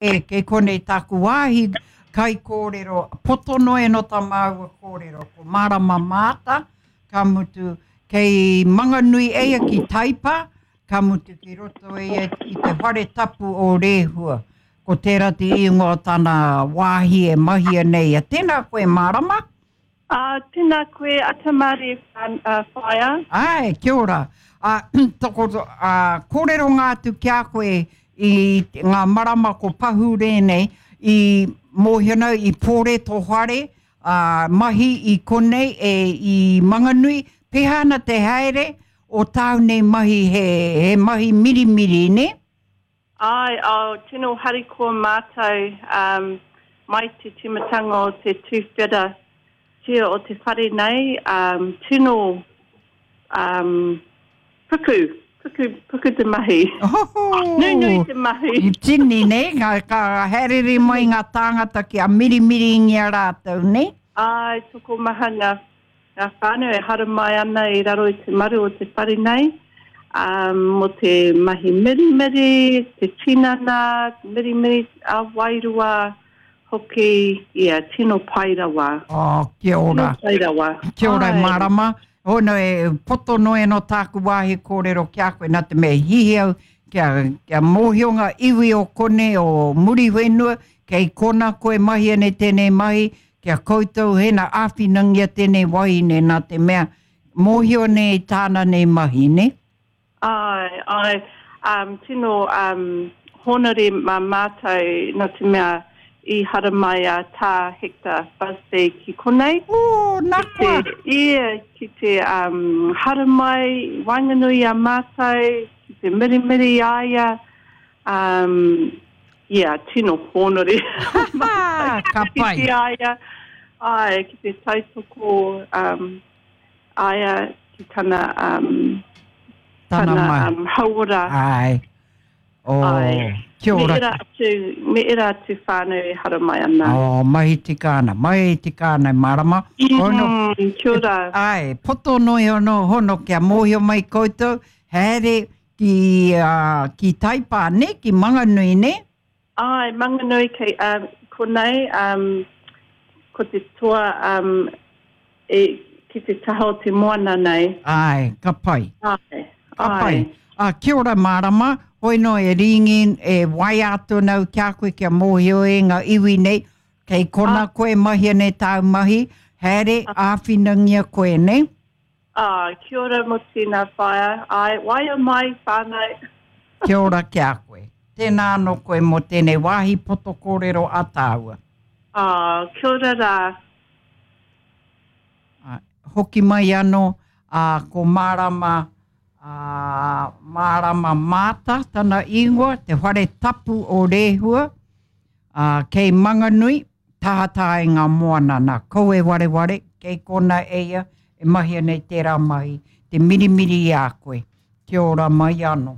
E, kei konei tāku wāhi kaikōrero, poto noa e no tā māua kōrero, ko Marama Maata, ka mutu, kei Manganui eia ki Taipa, ka mutu ki roto eia i te whare tapu o Rehua. Ko tērā te ingoa o tana wāhi e mahia nei ia. Tēnā koe Marama. Ā, tēnā koe, Atamari whaea. Āe, kia ora. Ā, toko, ā, kōrero ngā atu ki a koe i ngā marama ko pahure nei, i mōhio nau, i pōre tō whare, ā, mahi i konei, e, i Manganui, pēhea ana te haere o tāu nei mahi, he, he mahi mirimiri, nē? Āe, oh, tino harikoa mātou um, mai te tīmatanga o te tuwhera tia o te whare nei, um, tino um, puku, puku, puku te mahi. Oho! Nunui te mahi. I tini, nei, ka, ka haerere mai ngā tāngata kia mirimiringia rātou, nei? Āe, tokomaha ngā Ngā whānau e haramai ana i raro i te maru o te whare nei, ā, mō te mahi mirimiri, te tinana, mirimiri ā-wairua hoki, ia, tino pai rawa. Oh, kia ora. Tino pai rawa. Kia ora e mārama. Hono e poto noa anō tāku wāhi kōrero ki a koe, nā te mea i hihi au kia, kia mōhio ngā iwi o konei, o Muriwhenua, kei kona koe mahi ana i tēnei mahi, Ki a koutou hena āwhinangia tēnei wahine nā te mea mōhio nei tāna nei mahi, nē? Āe, āe, um, tino um, hōnore mā mātou nā te mea i haramai a Tā Hector Busby ki konei. Ooh, nā koa! Ki te, ia, ki te um, haramai i waenganui i a mātou, ki te mirimiri i a ia, Um, yeah, tino hōnore. Ka pai. Ki a ia, ai, ki te tautoko um, aia ki tana, um, tana, tana um, hauora. Ai. Oh, ai. Kia ora. Me era atu, me era atu whānau e haramai ana. Oh, mahi tika ana, mahi tika ana, marama. Hono, mm, kia ora. Ai, poto noi hono, hono, kia mōhio mai koutou, haere Ki, uh, ki Taipā, ne? Ki Manganui, ne? Āe, Manganui kei, um, konei, um, ko te toa um, e, ki te taha o te moana nei. Āe, ka pai. Āe, Ka pai. Ā, kia ora mārama, hoi no e rīngi, e waea atu ana au ki a koe kia mōhio e ngā iwi nei, kei kona koe mahia nei tāu mahi, haere, āwhinangia koe, ne? Ah, kia ora mo tēnā whaea. Āe, waia mai whānau. Kia ora ki a koe. Tēnā anō koe mō tēnei wāhi poto kōrero a tāua. Ah, kia ora rā. Āe, hoki mai anō, ā, ko Mārama, ā, Mārama Maata tana ingoa, te whare tapu o Rehua, ā, kei Manganui, Tahataha i ngā moana nā kou e wareware, kei kona e ia e mahia nei tērā mahi, te mirimiri i a koe. Kia ora mai anō.